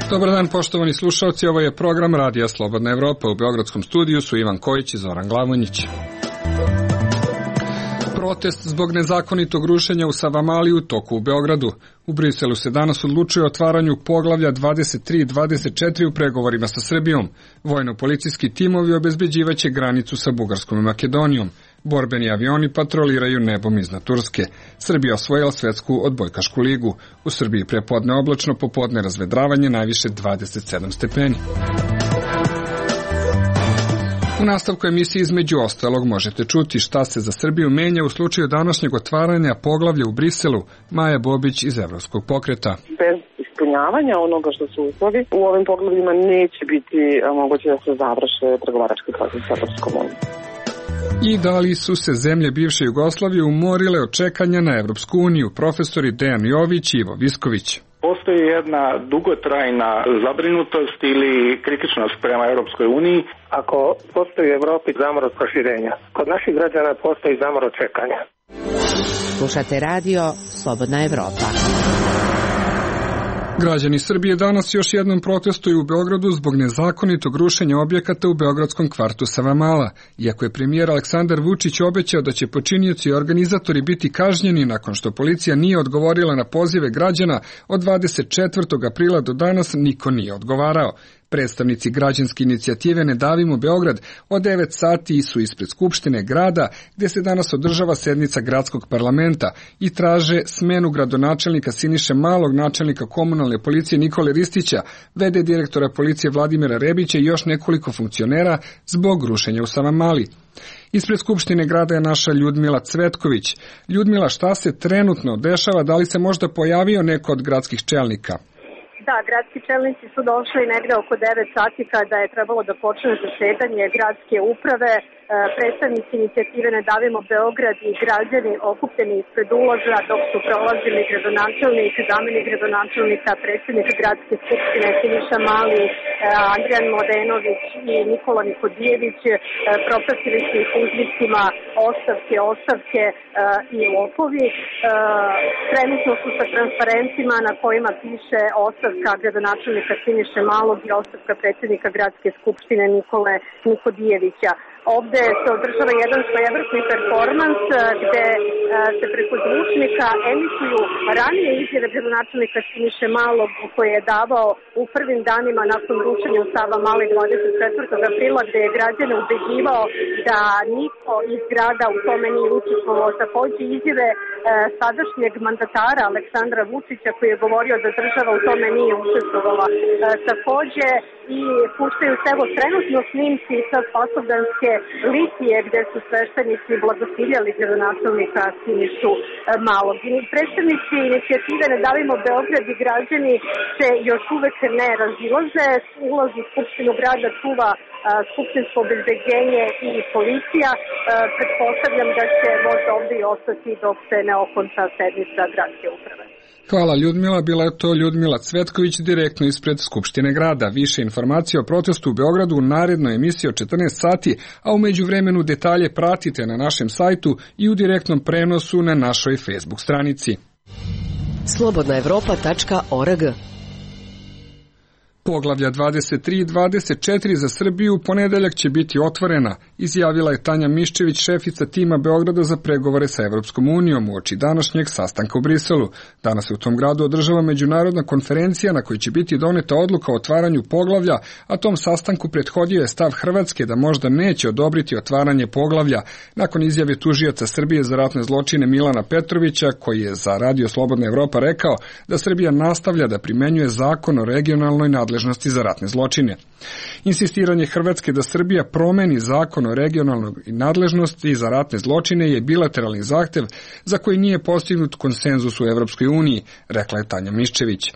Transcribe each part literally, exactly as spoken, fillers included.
Dobar dan, poštovani slušalci, ovo je program Radija Slobodna Evropa. U beogradskom studiju su Ivan Kojić i Zoran Glavonjić. Protest zbog nezakonitog rušenja u Savamali u toku u Beogradu. U Briselu se danas odlučuje o otvaranju poglavlja dvadeset tri i dvadeset četiri u pregovorima sa Srbijom. Vojno-policijski timovi obezbeđivaće granicu sa Bugarskom i Makedonijom. Borbeni avioni patroliraju nebom iznad Turske. Srbija osvojila svetsku odbojkašku ligu. U Srbiji prepodne oblačno, popodne razvedravanje, najviše dvadeset sedam stepeni. U nastavku emisije između ostalog možete čuti šta se za Srbiju menja u slučaju današnjeg otvaranja poglavlja u Briselu. Maja Bobić iz Evropskog pokreta. Bez ispunjavanja onoga što su uslovi, u ovim poglavljima neće biti moguće da se završe pregovarački proces sa Evropskom unijom. I da li su se zemlje bivše Jugoslavije umorile od čekanja na Evropsku uniju? Profesori Dejan Jović i Ivo Visković. Postoji jedna dugotrajna zabrinutost ili kritičnost prema Europskoj uniji. Ako postoji u Evropi zamor od proširenja, kod naših građana postoji zamor od čekanja. Slušate radio Slobodna Evropa. Građani Srbije danas još jednom protestuju u Beogradu zbog nezakonitog rušenja objekata u beogradskom kvartu Savamala. Iako je premijer Aleksandar Vučić obećao da će počinioci i organizatori biti kažnjeni nakon što policija nije odgovorila na pozive građana, od dvadeset četvrtog aprila do danas niko nije odgovarao. Predstavnici građanske inicijative Ne davimo Beograd od devet sati su ispred Skupštine grada, gde se danas održava sednica gradskog parlamenta, i traže smenu gradonačelnika Siniše Malog, načelnika komunalne policije Nikole Ristića, v d direktora policije Vladimira Rebića i još nekoliko funkcionera zbog rušenja u Savamali. Ispred Skupštine grada je naša Ljudmila Cvetković. Ljudmila, šta se trenutno dešava? Da li se možda pojavio neko od gradskih čelnika? Da, gradski čelnici su došli negde oko devet sati kada je trebalo da počne zasedanje gradske uprave. Predstavnici inicijative Ne davimo Beograd i građani okupljeni ispred ulaza dok su prolazili gradonačelnik, zamenik gradonačelnika, predsjednik gradske skupštine Siniša Mali, Andrijan Mladenović i Nikola Nikodijević. Propratili su ih uzvicima ostavke, ostavke i lopovi. Trenutno su sa transparentima na kojima piše ostavka gradonačelnika Siniše Malog i ostavka predsjednika gradske skupštine Nikole Nikodijevića. Ovde se održava jedan svojevrsni performans gde se preko zvučnika emituju ranije izjave gradonačelnika Siniše Malog koje je davao u prvim danima nakon rušenja u Savamali dvadeset četvrtog aprila, gde je građane ubeđivao da niko iz grada u tome nije učestvovao. Takođe izjave sadašnjeg mandatara Aleksandra Vučića koji je govorio da država u tome nije učestvovala. Takođe i puštaju se evo trenutno snimci sa Spasovdanske litije gde su sveštenici blagosiljali gradonačelnika Sinišu Malog. Predstavnici inicijative Ne davimo Beograd i građani se još uvek ne razilaze. Ulaz u Skupštinu grada čuva skupštinsko obezbeđenje i policija. Pretpostavljam da će možda ovde i ostati dok se ne okonča sednica gradske uprave. Hvala Ljudmila, bila je to Ljudmila Cvetković direktno ispred Skupštine grada. Više informacija o protestu u Beogradu u narednoj emisiji od četrnaest sati, a u međuvremenu detalje pratite na našem sajtu i u direktnom prenosu na našoj Facebook stranici. slobodna evropa tačka org. Poglavlja dvadeset tri i dvadeset četiri za Srbiju u ponedeljak će biti otvorena, izjavila je Tanja Miščević, šefica tima Beograda za pregovore sa Evropskom unijom uoči današnjeg sastanka u Briselu. Danas se u tom gradu održava međunarodna konferencija na kojoj će biti doneta odluka o otvaranju poglavlja, a tom sastanku prethodio je stav Hrvatske da možda neće odobriti otvaranje poglavlja, nakon izjave tužioca Srbije za ratne zločine Milana Petrovića, koji je za Radio Slobodna Evropa rekao da Srbija nastavlja da primenjuje zakon o regionalnoj nadležnosti za ratne zločine. Insistiranje Hrvatske da Srbija promeni zakon o regionalnoj nadležnosti za ratne zločine je bilateralni zahtev za koji nije postignut konsenzus u Evropskoj uniji, rekla je Tanja Miščević.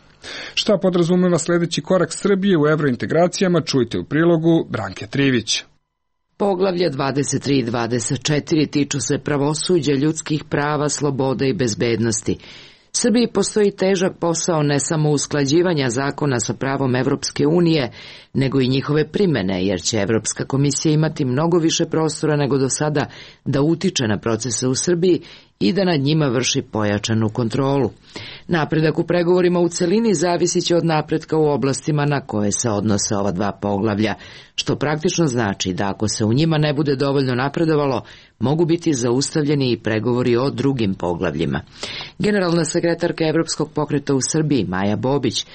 Šta podrazumeva sledeći korak Srbije u evrointegracijama, čujte u prilogu Branke Trivić. Poglavlje dvadeset tri i dvadeset četiri tiču se pravosuđa, ljudskih prava, slobode i bezbednosti. Srbiji postoji težak posao ne samo usklađivanja zakona sa pravom Evropske unije, nego i njihove primene, jer će Evropska komisija imati mnogo više prostora nego do sada da utiče na procese u Srbiji i da nad njima vrši pojačanu kontrolu. Napredak u pregovorima u celini zavisit će od napretka u oblastima na koje se odnose ova dva poglavlja, što praktično znači da ako se u njima ne bude dovoljno napredovalo, mogu biti zaustavljeni i pregovori o drugim poglavljima. Generalna sekretarka Evropskog pokreta u Srbiji, Maja Bobić,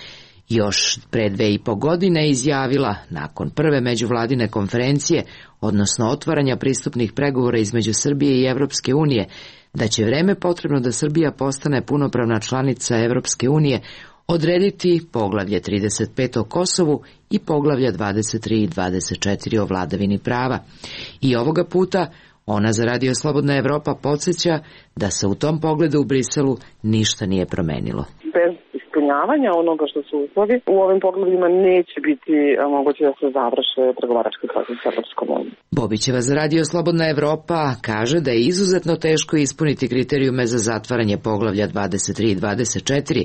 još pre dve i po godine izjavila, nakon prve međuvladine konferencije, odnosno otvaranja pristupnih pregovora između Srbije i Evropske unije, da će vreme potrebno da Srbija postane punopravna članica Evropske unije odrediti poglavlje trideset pet o Kosovu i poglavlja dvadeset tri i dvadeset četiri o vladavini prava. I ovoga puta ona za Radio Slobodna Evropa podsjeća da se u tom pogledu u Briselu ništa nije promenilo. Bez ispunjavanja onoga što su uslovi, u ovim poglavljima neće biti moguće da se završe pregovarački proces sa Evropskom unijom. Bobićeva za Radio Slobodna Evropa kaže da je izuzetno teško ispuniti kriterijume za zatvaranje poglavlja dvadeset tri i dvadeset četiri,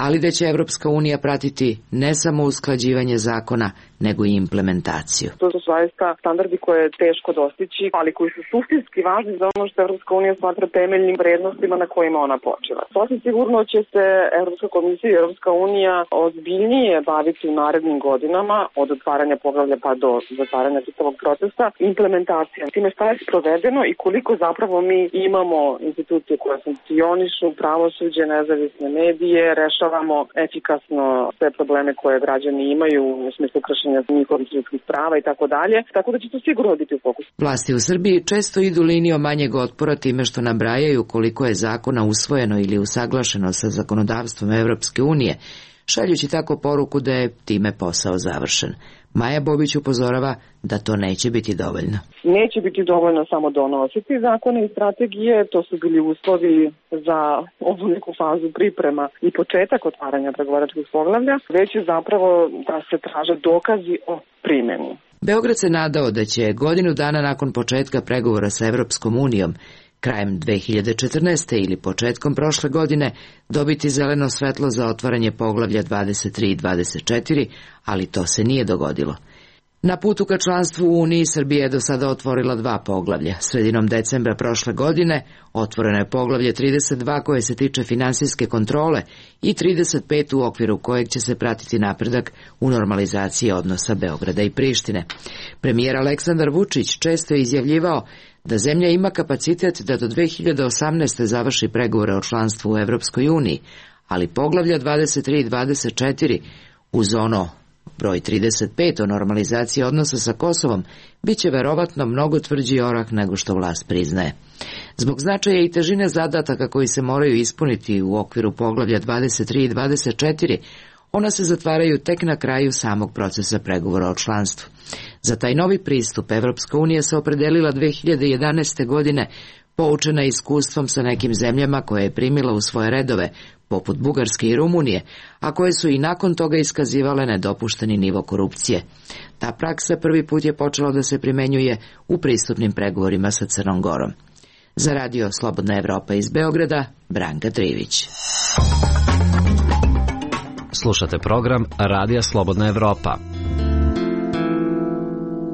ali da će Evropska unija pratiti ne samo usklađivanje zakona, nego i implementaciju. To su zaista standardi koje je teško dostići, ali koji su suštinski važni za ono što Evropska unija smatra temeljnim vrednostima na kojima ona počiva. Sasvim sigurno će se Evropska komisija i Evropska unija ozbiljnije baviti u narednim godinama, od otvaranja poglavlja pa do zatvaranja čitavog procesa, implementacijom. Time šta je sprovedeno i koliko zapravo mi imamo institucije koje funkcionišu, pravosuđe, nezavisne medije, rešavamo efikasno sve probleme koje građani imaju u smislu kršenja njihovih ljudskih prava i tako dalje, tako da će to sigurno biti u fokusu. Vlasti u Srbiji često idu linijom manjeg otpora time što nabrajaju koliko je zakona usvojeno ili usaglašeno sa zakonodavstvom Evropske unije, šaljući tako poruku da je time posao završen. Maja Bobić upozorava da to neće biti dovoljno. Neće biti dovoljno samo donositi zakone i strategije, to su bili uslovi za ovu neku fazu priprema i početak otvaranja pregovaračkih poglavlja, već je zapravo da se traže dokazi o primjeni. Beograd se nadao da će godinu dana nakon početka pregovora sa Evropskom unijom, krajem dve hiljade četrnaeste. ili početkom prošle godine, dobiti zeleno svetlo za otvaranje poglavlja dvadeset tri i dvadeset četiri, ali to se nije dogodilo. Na putu ka članstvu u Uniji Srbija je do sada otvorila dva poglavlja. Sredinom decembra prošle godine otvoreno je poglavlje trideset dva koje se tiče finansijske kontrole i trideset pet u okviru kojeg će se pratiti napredak u normalizaciji odnosa Beograda i Prištine. Premijer Aleksandar Vučić često je izjavljivao da zemlja ima kapacitet da do dve hiljade osamnaeste. završi pregovore o članstvu u Evropskoj uniji, ali poglavlja dvadeset tri i dvadeset četiri uz ono broj trideset pet o normalizaciji odnosa sa Kosovom biće verovatno mnogo tvrđi orak nego što vlast priznaje. Zbog značaja i težine zadataka koji se moraju ispuniti u okviru poglavlja dvadeset tri i dvadeset četiri, ona se zatvaraju tek na kraju samog procesa pregovora o članstvu. Za taj novi pristup Evropska unija se opredelila dve hiljade jedanaeste. godine, poučena iskustvom sa nekim zemljama koje je primila u svoje redove, poput Bugarske i Rumunije, a koje su i nakon toga iskazivale nedopušteni nivo korupcije. Ta praksa prvi put je počela da se primenjuje u pristupnim pregovorima sa Crnom Gorom. Za Radio Slobodna Evropa iz Beograda, Branka Trivić. Slušate program Radija Slobodna Evropa.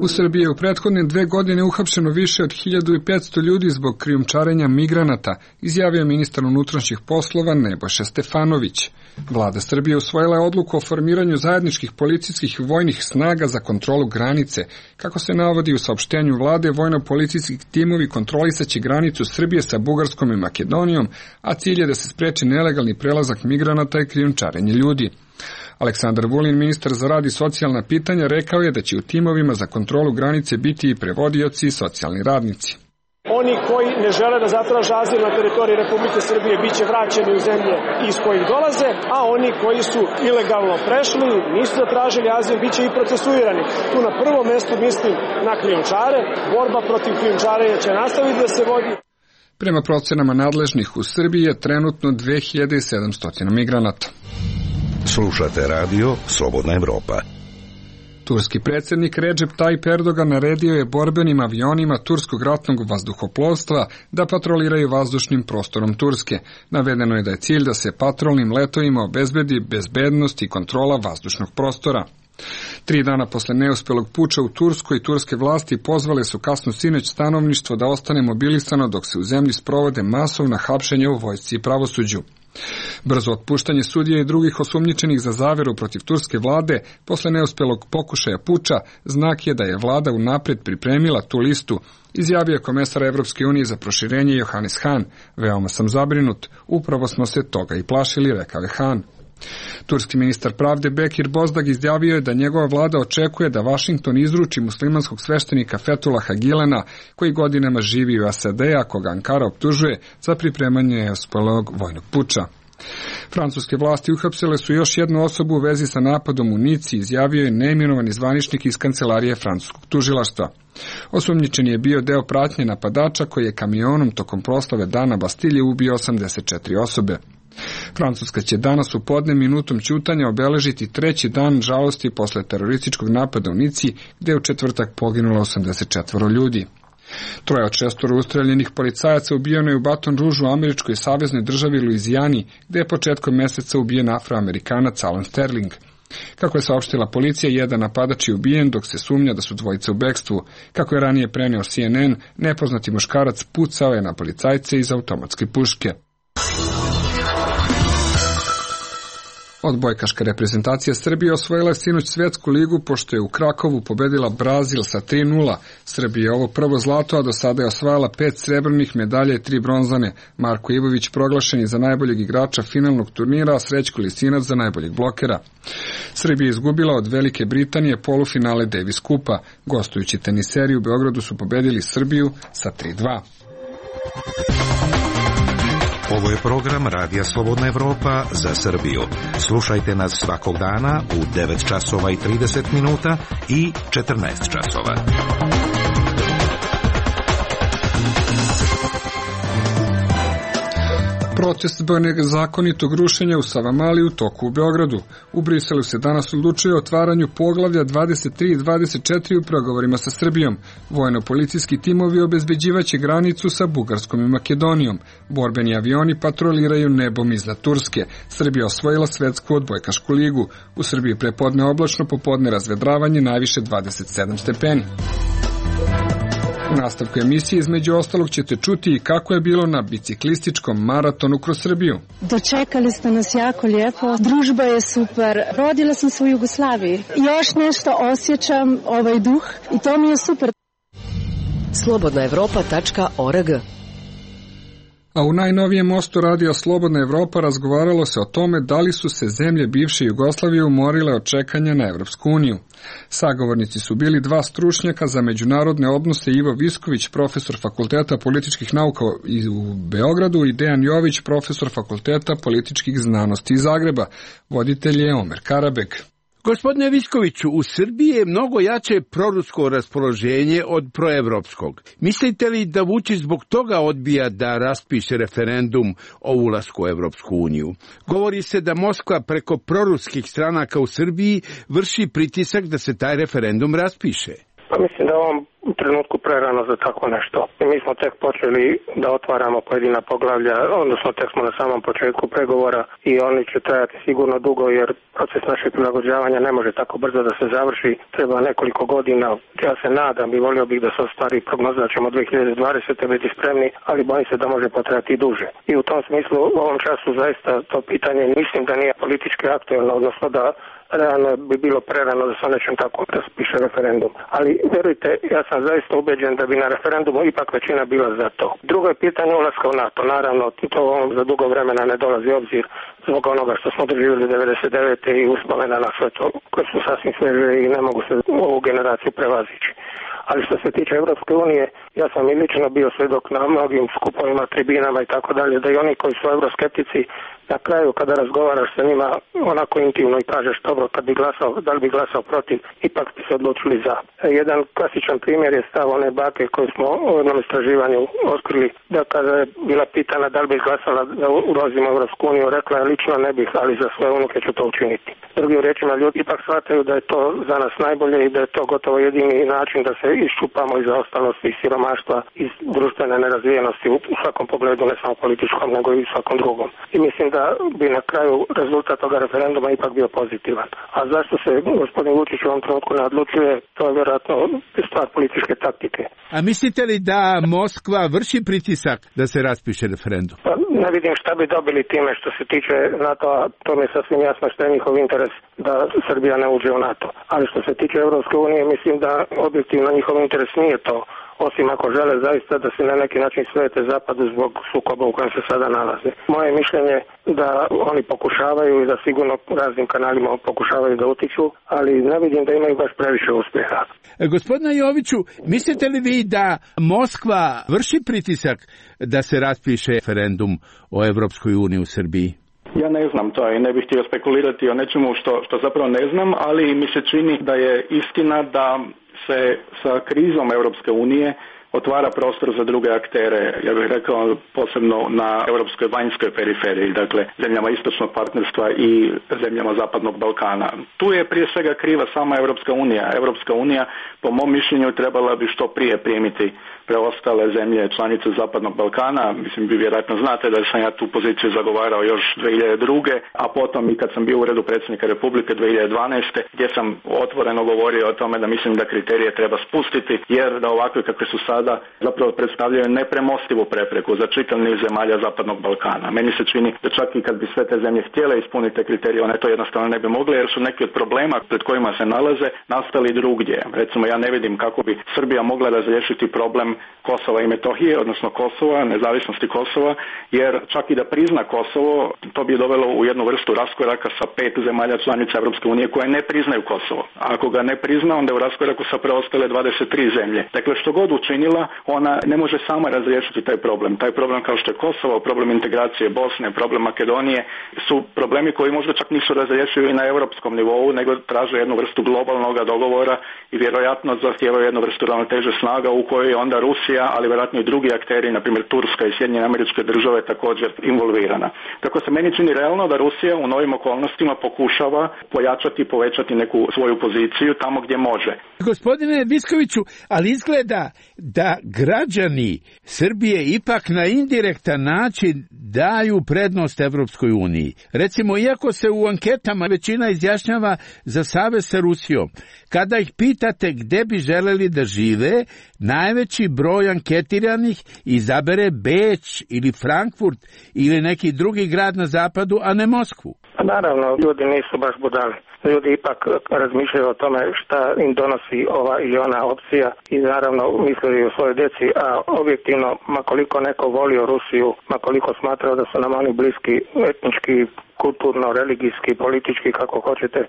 U Srbiji je u prethodne dve godine uhapšeno više od hiljadu petsto ljudi zbog krijumčarenja migranata, izjavio ministar unutrašnjih poslova Nebojša Stefanović. Vlada Srbije usvojila je odluku o formiranju zajedničkih policijskih i vojnih snaga za kontrolu granice. Kako se navodi u saopštenju vlade, vojno-policijski timovi kontrolisaće granicu Srbije sa Bugarskom i Makedonijom, a cilj je da se spreči nelegalni prelazak migranata i krijumčarenje ljudi. Aleksandar Vulin, ministar za rad i socijalna pitanja, rekao je da će u timovima za kontrolu granice biti i prevodioci i socijalni radnici. Oni koji ne žele da zatraže azil na teritoriji Republike Srbije biće vraćeni u zemlje iz kojih dolaze, a oni koji su ilegalno prešli, nisu zatražili azil, biće i procesuirani. Tu na prvom mestu mislim na krijumčare. Borba protiv krijumčarenja će nastaviti da se vodi. Prema procenama nadležnih u Srbiji je trenutno dve hiljade sedamsto migranata. Slušate radio Slobodna Evropa. Turski predsjednik Recep Tayyip Erdogan naredio je borbenim avionima turskog ratnog vazduhoplovstva da patroliraju vazdušnim prostorom Turske. Navedeno je da je cilj da se patrolnim letovima obezbedi bezbednost i kontrola vazdušnog prostora. Tri dana posle neuspelog puča u Turskoj, turske vlasti pozvale su kasno sinoć stanovništvo da ostane mobilisano dok se u zemlji sprovode masovna hapšenja u vojsci i pravosuđu. Brzo otpuštanje sudija i drugih osumnjičenih za zaveru protiv turske vlade posle neuspelog pokušaja puča znak je da je vlada unapred pripremila tu listu, izjavio je komesar Evropske unije za proširenje Johannes Hahn. Veoma sam zabrinut, upravo smo se toga i plašili, rekao je Hahn. Turski ministar pravde Bekir Bozdag izjavio je da njegova vlada očekuje da Vašington izruči muslimanskog sveštenika Fetulaha Gilena, koji godinama živi u S A D, a koga Ankara optužuje za pripremanje neuspelog vojnog puča. Francuske vlasti uhapsile su još jednu osobu u vezi sa napadom u Nici, izjavio je neimenovani zvaničnik iz kancelarije francuskog tužilaštva. Osumnjičeni je bio deo pratnje napadača koji je kamionom tokom proslave Dana Bastilje ubio osamdeset četiri osobe. Francuska će danas u podne minutom ćutanja obeležiti treći dan žalosti posle terorističkog napada u Nici, gde je u četvrtak poginulo osamdeset četiri ljudi. Troje od šestoro ustreljenih policajaca ubijeno je u Baton Rouge u američkoj saveznoj državi Luizijani, gde je početkom meseca ubijen Afroamerikanac Alan Sterling. Kako je saopštila policija, jedan napadač je ubijen, dok se sumnja da su dvojice u bekstvu. Kako je ranije preneo C N N, nepoznati muškarac pucao je na policajce iz automatske puške. Odbojkaška reprezentacija Srbije osvojila je sinoć svetsku ligu pošto je u Krakovu pobedila Brazil sa tri nula. Srbija je ovo prvo zlato, a do sada je osvajala pet srebrnih medalja i tri bronzane. Marko Ivović proglašen je za najboljeg igrača finalnog turnira, a Srećko Lisinac za najboljeg blokera. Srbija je izgubila od Velike Britanije polufinale Davis Kupa. Gostujući teniseri u Beogradu su pobedili Srbiju sa tri dva. Ovo je program Radija Slobodna Evropa za Srbiju. Slušajte nas svakog dana u devet časova i trideset minuta i četrnaest časova. Protest zbog nezakonitog rušenja u Savamali u toku u Beogradu. U Briselu se danas odlučuje o otvaranju poglavlja dvadeset tri i dvadeset četiri u pregovorima sa Srbijom. Vojno-policijski timovi obezbeđivaće granicu sa Bugarskom i Makedonijom. Borbeni avioni patroliraju nebom iznad Turske. Srbija osvojila svetsku odbojkašku ligu. U Srbiji prepodne oblačno, popodne razvedravanje, najviše dvadeset sedam stepeni. U nastavku emisije između ostalog ćete čuti i kako je bilo na biciklističkom maratonu kroz Srbiju. Dočekali ste nas jako lijepo, družba je super, rodila sam se u Jugoslaviji. Još nešto osjećam, ovaj duh, i to mi je super. slobodna evropa tačka org. A u najnovijem mostu Radija Slobodna Evropa razgovaralo se o tome da li su se zemlje bivše Jugoslavije umorile od čekanja na Evropsku uniju. Sagovornici su bili dva stručnjaka za međunarodne odnose, Ivo Visković, profesor Fakulteta političkih nauka u Beogradu, i Dejan Jović, profesor Fakulteta političkih znanosti iz Zagreba. Voditelj je Omer Karabek. Gospodine Viskoviću, u Srbiji je mnogo jače prorusko raspoloženje od proevropskog. Mislite li da Vučić zbog toga odbija da raspiše referendum o ulasku u Evropsku uniju? Govori se da Moskva preko proruskih stranaka u Srbiji vrši pritisak da se taj referendum raspiše. Pa mislim da ovom u trenutku prerano za tako nešto. I mi smo tek počeli da otvaramo pojedina poglavlja, odnosno tek smo na samom početku pregovora i oni će trajati sigurno dugo, jer proces našeg prilagođavanja ne može tako brzo da se završi. Treba nekoliko godina. Ja se nadam i volio bih da se ostvari prognoza da ćemo dve hiljade dvadesete biti spremni, ali bojim se da može potrajati duže. I u tom smislu u ovom času zaista to pitanje mislim da nije politički aktuelno, odnosno da realno bi bilo prerano da se o nečem tako raspiše referendum. Ali verujte, ja sam zaista ubeđen da bi na referendumu ipak većina bila za to. Drugo je pitanje ulaska u NATO. Naravno, to za dugo vremena ne dolazi obzir zbog onoga što smo doživjeli devedeset devete i uspomena na sve to, koje su sasvim sveže i ne mogu se ovu generaciju prevazići. Ali što se tiče Evropske unije, ja sam i lično bio svedok na mnogim skupovima, tribinama i tako dalje, da i oni koji su euroskeptici, na kraju kada razgovaraš sa njima onako intimno i kažeš dobro, kad bi glasao, da li bi glasao protiv, ipak bi se odlučili za. Jedan klasičan primjer je stav one bake koju smo u jednom istraživanju otkrili, da kada je bila pitana da li bi glasala da ulazimo u Evropsku uniju, rekla je lično ne bih, ali za svoje unuke ću to učiniti. Drugim riječima, ljudi ipak shvataju da je to za nas najbolje i da je to gotovo jedini način da se iščupamo i zaostalosti i siromaštva iz društvene nerazvijenosti u svakom pogledu, ne samo političkom, nego i u svakom drugom. I mislim da bi na kraju rezultat toga referenduma ipak bio pozitivan. A zašto se gospodin Vučić u ovom trenutku ne odlučuje, to je vjerojatno stvar političke taktike. A mislite li da Moskva vrši pritisak da se raspiše referendum? Pa ne vidim šta bi dobili time. Što se tiče NATO-a, to mi je sasvim jasno što je njihov interes da Srbija ne uđe u NATO. Ali što se tiče Europske unije, mislim da objektivno njihov interes nije to, osim ako žele zaista da se na neki način svete zapadu zbog sukoba u kojem se sada nalaze. Moje mišljenje da oni pokušavaju i da sigurno raznim kanalima pokušavaju da utiču, ali ne vidim da imaju baš previše uspjeha. E, gospodine Joviću, mislite li vi da Moskva vrši pritisak da se raspiše referendum o Evropskoj uniji u Srbiji? Ja ne znam to i ne bih htio spekulirati o nečemu što, što zapravo ne znam, ali mi se čini da je istina da se sa krizom Europske unije otvara prostor za druge aktere, ja bih rekao posebno na europskoj vanjskoj periferiji, dakle zemljama istočnog partnerstva i zemljama zapadnog Balkana. Tu je prije svega kriva sama Europska unija. Europska unija, po mom mišljenju, trebala bi što prije primiti preostale zemlje članice zapadnog Balkana. Mislim, vi vjerojatno znate da sam ja tu poziciju zagovarao još dvije hiljade druge. a potom i kad sam bio u uredu predsjednika Republike dvije hiljade dvanaeste. gdje sam otvoreno govorio o tome da mislim da kriterije treba spustiti, jer da ovakve kakve su sada zapravo predstavljaju nepremostivu prepreku za čitav niz zemalja zapadnog Balkana. Meni se čini da čak i kad bi sve te zemlje htjele ispuniti te kriterije, one to jednostavno ne bi mogle, jer su neki od problema pred kojima se nalaze nastali drugdje. Recimo, ja ne vidim kako bi Srbija mogla razriješiti problem Kosova i Metohije, odnosno Kosova, nezavisnosti Kosova, jer čak i da prizna Kosovo, to bi dovelo u jednu vrstu raskoraka sa pet zemalja članica Europske unije koje ne priznaju Kosovo. A ako ga ne prizna, onda je u raskoraku sa preostale dvadeset tri zemlje. Dakle, što god učinila, ona ne može sama razriješiti taj problem. Taj problem kao što je Kosovo, problem integracije Bosne, problem Makedonije, su problemi koji možda čak nisu razriješivi i na europskom nivou, nego traže jednu vrstu globalnog dogovora i vjerojatno zahtijevaju jednu vrstu ravnoteže snaga u kojoj je onda Rusija, ali vjerojatno i drugi akteri, na primjer Turska i Sjedinjene Američke Države, također involvirana. Tako se meni čini realno da Rusija u novim okolnostima pokušava pojačati i povećati neku svoju poziciju tamo gdje može. Gospodine Viskoviću, ali izgleda da građani Srbije ipak na indirektan način daju prednost Evropskoj uniji. Recimo, iako se u anketama većina izjašnjava za savez sa Rusijom, kada ih pitate gde bi želeli da žive, najveći broj anketiranih izabere Beč ili Frankfurt ili neki drugi grad na zapadu, a ne Moskvu. Naravno, ljudi nisu baš budali. Ljudi ipak razmišljaju o tome šta im donosi ova ili ona opcija i naravno misle o svojoj djeci, a objektivno, makoliko neko volio Rusiju, makoliko smatrao da su nam oni bliski etnički, kulturno, religijski, politički, kako hoćete,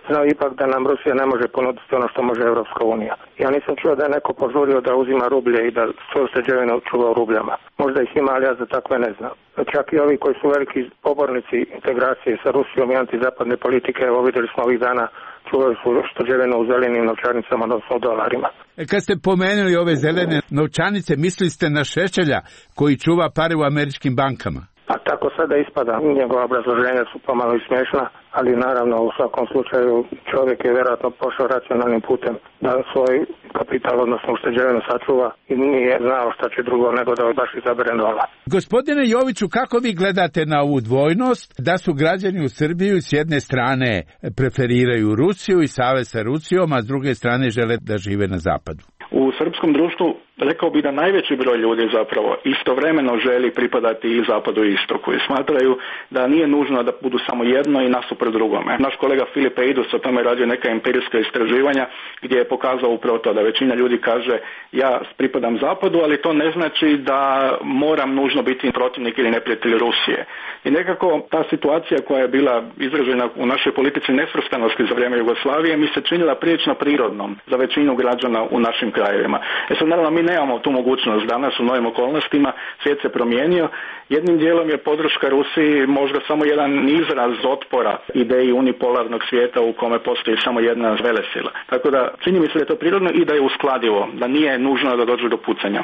znao ipak da nam Rusija ne može ponuditi ono što može Europska unija. Ja nisam čuo da je neko požurio da uzima rublje i da svoju ušteđevinu čuva u rubljama. Možda ih ima, ali ja za takve ne znam. Čak i ovi koji su veliki pobornici integracije sa Rusijom i antizapadne politike, evo vidjeli smo ovih dana, čuvaju su ušteđevinu u zelenim novčanicama, odnosno u dolarima. E, kad ste pomenuli ove zelene novčanice, mislili ste na Šešelja koji čuva pare u američkim bankama? A tako sada ispada, njegova obrazloženja su pomalo i smiješna, ali naravno u svakom slučaju čovjek je vjerojatno pošao racionalnim putem da svoj kapital, odnosno ušteđevinu sačuva i nije znao šta će drugo nego da baš izabere nova. Gospodine Joviću, kako vi gledate na ovu dvojnost da su građani u Srbiji s jedne strane preferiraju Rusiju i savez sa Rusijom, a s druge strane žele da žive na zapadu? U srpskom društvu rekao bi da najveći broj ljudi zapravo istovremeno želi pripadati i zapadu i istoku i smatraju da nije nužno da budu samo jedno i nasuprot drugome. Naš kolega Filip Eidus o tome radio neka empirijska istraživanja gdje je pokazao upravo to da većina ljudi kaže ja pripadam zapadu, ali to ne znači da moram nužno biti protivnik ili neprijatelj Rusije. I nekako ta situacija koja je bila izražena u našoj politici nesvrstanosti za vrijeme Jugoslavije mi se činila prilično prirodnom za većinu građana u našim krajevima. E sad, naravno, mi nemamo tu mogućnost danas u novim okolnostima, svijet se promijenio. Jednim dijelom je podrška Rusiji možda samo jedan izraz otpora ideji unipolarnog svijeta u kome postoji samo jedna velesila. Tako da čini mi se da je to prirodno i da je uskladivo, da nije nužno da dođe do pucanja.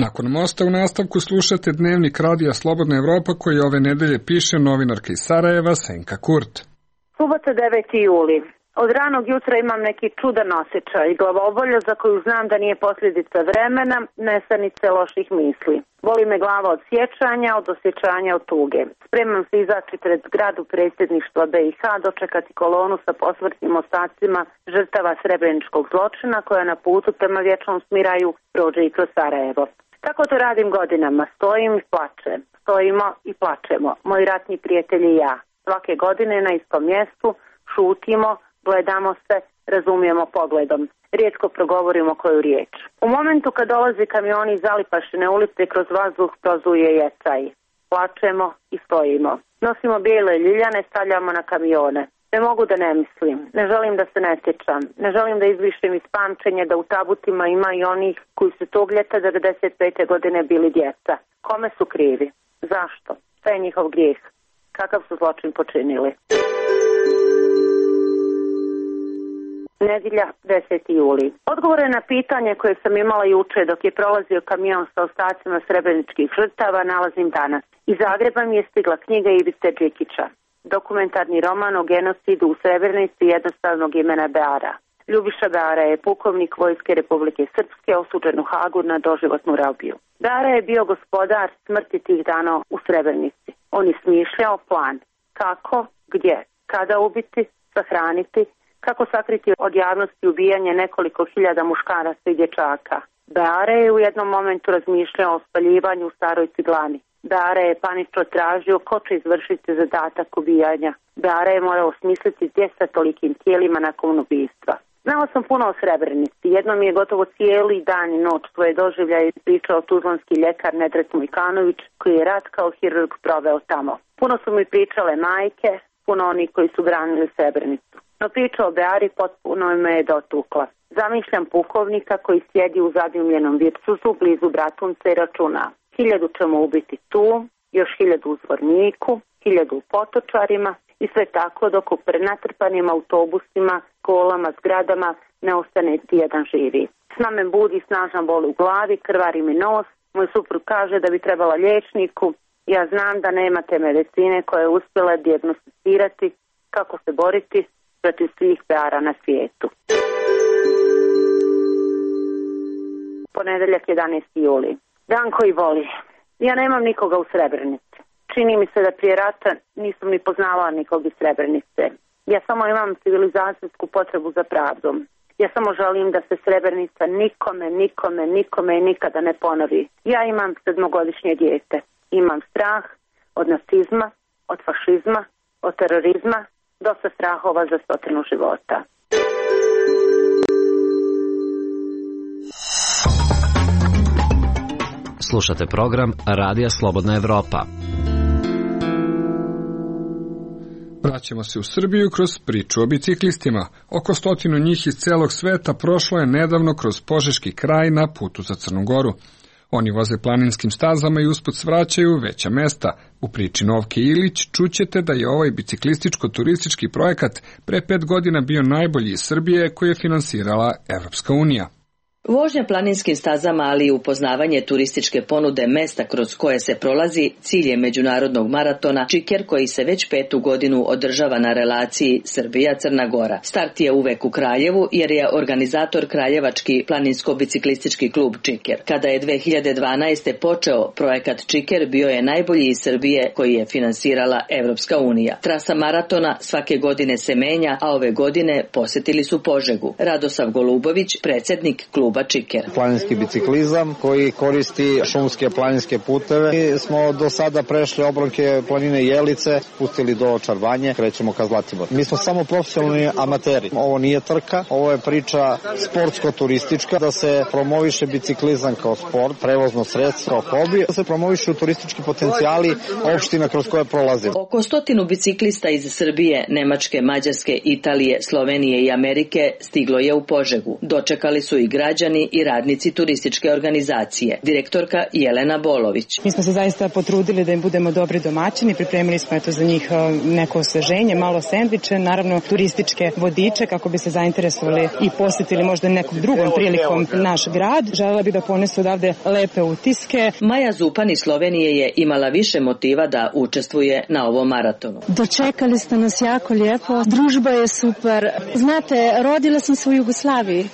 Nakon mosta u nastavku slušate dnevnik radija Slobodna Evropa koji ove nedelje piše novinarka iz Sarajeva Senka Kurt. Subota deveti juli. Od ranog jutra imam neki čudan osjećaj i glavobolja za koju znam da nije posljedica vremena, nesanice loših misli. Boli me glava od sjećanja, od osjećanja, od tuge. Spremam se izaći pred zgradu predsjedništva B i H, dočekati kolonu sa posmrtnim ostacima žrtava srebreničkog zločina koja na putu prema vječnom smiraju prođe i kroz Sarajevo. Tako to radim godinama, stojim i plačem. Stojimo i plačemo, moji ratni prijatelji i ja. Svake godine na istom mjestu šutimo, gledamo se, razumijemo pogledom. Rijetko progovorimo koju riječ. U momentu kad dolazi kamioni iz Zalipašine ulice kroz vazduh prozuje jecaj. Plačemo i stojimo. Nosimo bijele ljiljane, stavljamo na kamione. Ne mogu da ne mislim, ne želim da se ne sjećam, ne želim da izvišim iz pamćenja da u tabutima ima i onih koji su tog ljeta devedeset pete godine bili djeca. Kome su krivi? Zašto? Šta je njihov grijeh? Kakav su zločin počinili? Nedjelja, deseti juli. Odgovore na pitanje koje sam imala juče dok je prolazio kamion sa ostacima srebreničkih žrtava nalazim danas. Iz Zagreba mi je stigla knjiga Ivice Đikića. Dokumentarni roman o genocidu u Srebrenici jednostavnog imena Beara. Ljubiša Beara je pukovnik Vojske Republike Srpske osuđen u Hagu na doživotnu robiju. Beara je bio gospodar smrti tih dana u Srebrenici. On je smišljao plan kako, gdje, kada ubiti, sahraniti, kako sakriti od javnosti ubijanje nekoliko hiljada muškaraca i dječaka. Beara je u jednom momentu razmišljao o spaljivanju u staroj ciglani. Beara je panično tražio ko će izvršiti zadatak ubijanja. Beara je morao osmisliti gdje sa tolikim tijelima nakon ubijstva. Znala sam puno o Srebrenici. Jednom je gotovo cijeli dan i noć svoje doživljaje ispričao tuzlanski ljekar Nedret Mujkanović, koji je rat kao hirurg proveo tamo. Puno su mi pričale majke, puno oni koji su branili Srebrenicu. No priča o Beari potpuno me je dotukla. Zamišljam pukovnika koji sjedi u zadimljenom virtusu blizu Bratunca i računa. Hiljadu ćemo ubiti tu, još hiljadu u Zvorniku, hiljadu u Potočarima i sve tako dok u prenatrpanim autobusima, kolama, zgradama ne ostane ti jedan živi. Sna me budi snažan bol u glavi, krvari mi nos, moj suprug kaže da bi trebala liječniku. Ja znam da nemate medicine koja je uspjela dijagnosticirati kako se boriti protiv svih Beara na svijetu. Ponedeljak, jedanaesti juli. Dan koji voli. Ja nemam nikoga u Srebrenici. Čini mi se da prije rata nisam ni poznavala nikog iz Srebrenice. Ja samo imam civilizacijsku potrebu za pravdom. Ja samo želim da se Srebrenica nikome, nikome, nikome i nikada ne ponovi. Ja imam sedmogodišnje dijete. Imam strah od nacizma, od fašizma, od terorizma, dosta strahova za stotinu života. Slušate program Radija Slobodna Evropa. Vraćamo se u Srbiju kroz priču o biciklistima. Oko stotinu njih iz celog sveta prošlo je nedavno kroz Požeški kraj na putu za Crnu Goru. Oni voze planinskim stazama i usput svraćaju veća mesta. U priči Novke Ilić čućete da je ovaj biciklističko-turistički projekat pre pet godina bio najbolji iz Srbije koji je finansirala Evropska unija. Vožnja planinskim stazama, ali i upoznavanje turističke ponude mesta kroz koje se prolazi, cilj je međunarodnog maratona Čiker koji se već petu godinu održava na relaciji Srbija-Crna Gora. Start je uvek u Kraljevu jer je organizator kraljevački planinsko-biciklistički klub Čiker. Kada je dve hiljade dvanaeste. počeo projekat Čiker, bio je najbolji iz Srbije koji je finansirala Evropska unija. Trasa maratona svake godine se menja, a ove godine posjetili su Požegu. Radosav Golubović, predsjednik kluba Čiker. Planinski biciklizam koji koristi šumske planinske puteve. Mi smo do sada prešli obronke planine Jelice, pustili do Čarvanje, krećemo ka Zlatiboru. Mi smo samo profesionalni amateri. Ovo nije trka, ovo je priča sportsko-turistička, da se promoviše biciklizam kao sport, prevozno sredstvo, kao hobi, da se promovišu turistički potencijali opština kroz koje prolazimo. Oko stotinu biciklista iz Srbije, Nemačke, Mađarske, Italije, Slovenije i Amerike stiglo je u Požegu. Dočekali su i građani građani i radnici turističke organizacije. Direktorka Jelena Bolović. Mi smo se zaista potrudili da im budemo dobri domaćini, pripremili smo eto za njih neko osveženje, malo sendviče, naravno turističke vodiče kako bi se zainteresovali i posjetili možda nekom drugom prilikom naš grad. Želela bih da ponesu odavde lepe utiske. Maja Zupan iz Slovenije je imala više motiva da učestvuje na ovom maratonu. Dočekali ste nas jako lijepo, družba je super. Znate, rodila sam se u Jugoslaviji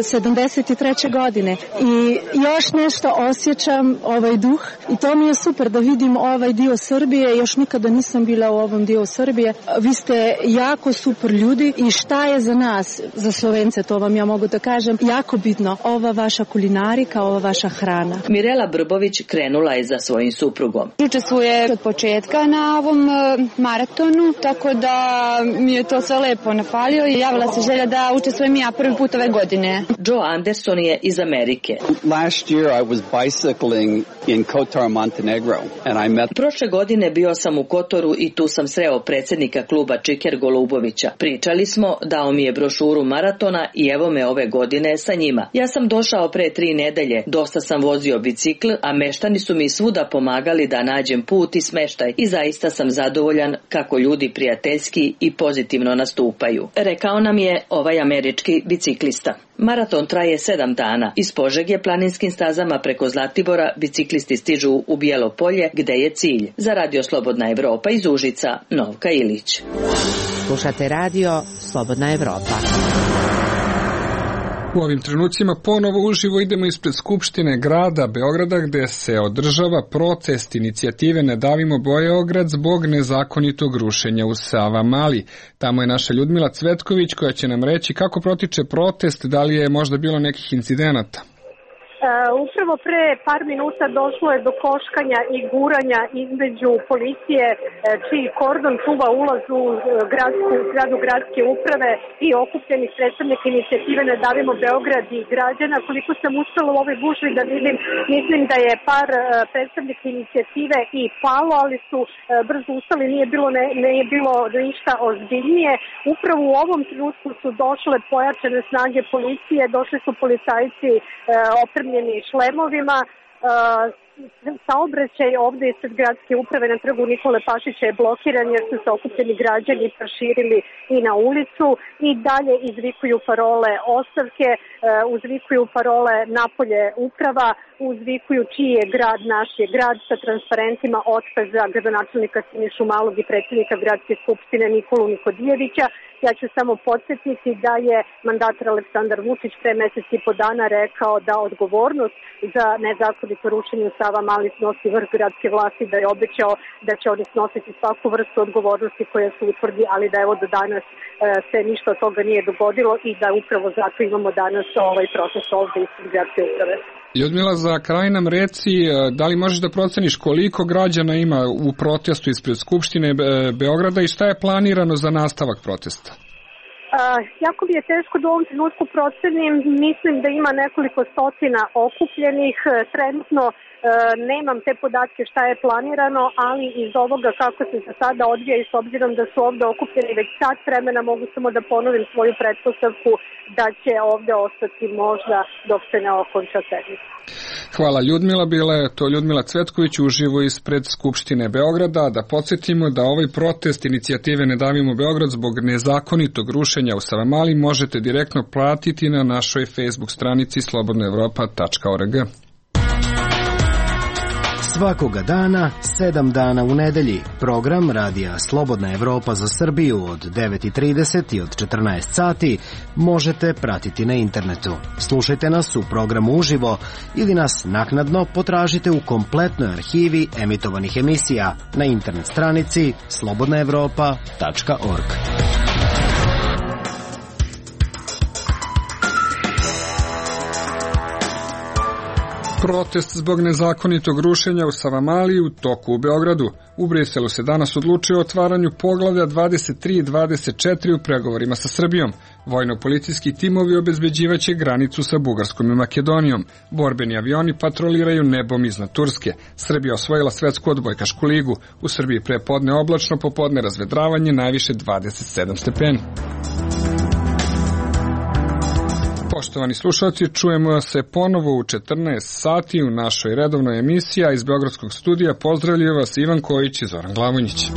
sedamdeset treće godine i još nešto osjećam ovaj duh i to mi je super da vidim ovaj dio Srbije, još nikada nisam bila u ovom dio Srbije. Vi ste jako super ljudi i šta je za nas, za Slovence, to vam ja mogu da kažem, jako bitno, ova vaša kulinarika, ova vaša hrana. Mirela Brbović krenula je za svojim suprugom. Učestvuje od početka na ovom maratonu, tako da mi je to sve lepo napalio i javila se želja da učestvujem ja prvi put ove godine. Joe Anderson je iz Amerike. Last year I was bicycling in Kotor, Montenegro, and I met... Prošle godine bio sam u Kotoru i tu sam sreo predsjednika kluba Čiker Golubovića. Pričali smo, dao mi je brošuru maratona i evo me ove godine sa njima. Ja sam došao pre tri nedelje, dosta sam vozio bicikl, a meštani su mi svuda pomagali da nađem put i smeštaj i zaista sam zadovoljan kako ljudi prijateljski i pozitivno nastupaju. Rekao nam je ovaj američki biciklista. Maraton traje sedam dana. Iz Požege planinskim stazama preko Zlatibora biciklisti stižu u Bijelo Polje, gde je cilj. Za Radio Slobodna Evropa iz Užica, Novka Ilić. Slušate radio Slobodna Evropa. U ovim trenucima ponovo uživo idemo ispred Skupštine grada Beograda gde se održava protest inicijative Ne davimo Beograd zbog nezakonitog rušenja u Savamali. Tamo je naša Ljudmila Cvetković koja će nam reći kako protiče protest, da li je možda bilo nekih incidenata. Uh, upravo pre par minuta došlo je do koškanja i guranja između policije, uh, čiji kordon čuva ulaz u uh, gradsku, zgradu gradske uprave i okupljenih predstavnika inicijative Ne davimo Beograd i građana. Koliko sam uspela u ovoj gužvi da vidim, mislim da je par uh, predstavnika inicijative i palo, ali su uh, brzo ustali, nije bilo, ne, nije bilo ništa ozbiljnije. Upravo u ovom trenutku su došle pojačane snage policije, došli su policajci uh, opremljeni šlemovima. Saobraćaj ovde ispred gradske uprave na trgu Nikole Pašića je blokiran jer su se okupljeni građani proširili i na ulicu i dalje izvikuju parole ostavke, uzvikuju parole napolje uprava, uzvikuju čiji je grad, naš je grad, sa transparentima otkaza gradonačelnika Sinišu Malog i predsjednika gradske skupštine Nikolu Nikodijevića. Ja ću samo podsjetiti da je mandatar Aleksandar Vučić pre mesec i po dana rekao da odgovornost za nezakonito rušenje u Savamali snosi vrh gradske vlasti, da je obećao da će oni snositi svaku vrstu odgovornosti koja se utvrdi, ali da evo do danas e, se ništa od toga nije dogodilo i da upravo zato imamo danas ovaj proces ovde ispred gradske uprave. Ljudmila, za kraj nam reci, da li možeš da proceniš koliko građana ima u protestu ispred Skupštine Beograda i šta je planirano za nastavak protesta? Uh, jako mi je teško da u ovom trenutku procenim, mislim da ima nekoliko stotina okupljenih, trenutno uh, nemam te podatke šta je planirano, ali iz ovoga kako se za sada odvija i s obzirom da su ovde okupljeni već sat vremena, mogu samo da ponovim svoju pretpostavku da će ovde ostati možda dok se ne okonča sednica. Hvala Ljudmila, bila je to Ljudmila Cvetković uživo ispred Skupštine Beograda. Da podsjetimo da ovaj protest inicijative Ne davimo Beograd zbog nezakonitog rušenja u Savamali možete direktno platiti na našoj Facebook stranici slobodna evropa tačka org. Svakoga dana, sedam dana u nedelji, program Radija Slobodna Evropa za Srbiju od devet i trideset i od četrnaest sati možete pratiti na internetu. Slušajte nas u programu uživo ili nas naknadno potražite u kompletnoj arhivi emitovanih emisija na internet stranici slobodna evropa tačka org. Protest zbog nezakonitog rušenja u Savamali u toku u Beogradu. U Briselu se danas odlučio o otvaranju poglavlja dvadeset tri i dvadeset četiri u pregovorima sa Srbijom. Vojno-policijski timovi obezbeđivaće granicu sa Bugarskom i Makedonijom. Borbeni avioni patroliraju nebom iznad Turske. Srbija osvojila svetsku odbojkašku ligu. U Srbiji prepodne oblačno, popodne razvedravanje, najviše dvadeset sedam stepeni. Poštovani slušalci, čujemo se ponovo u četrnaest sati u našoj redovnoj emisiji, a iz Beogradskog studija pozdravljaju vas Ivan Kojić i Zoran Glavonjić.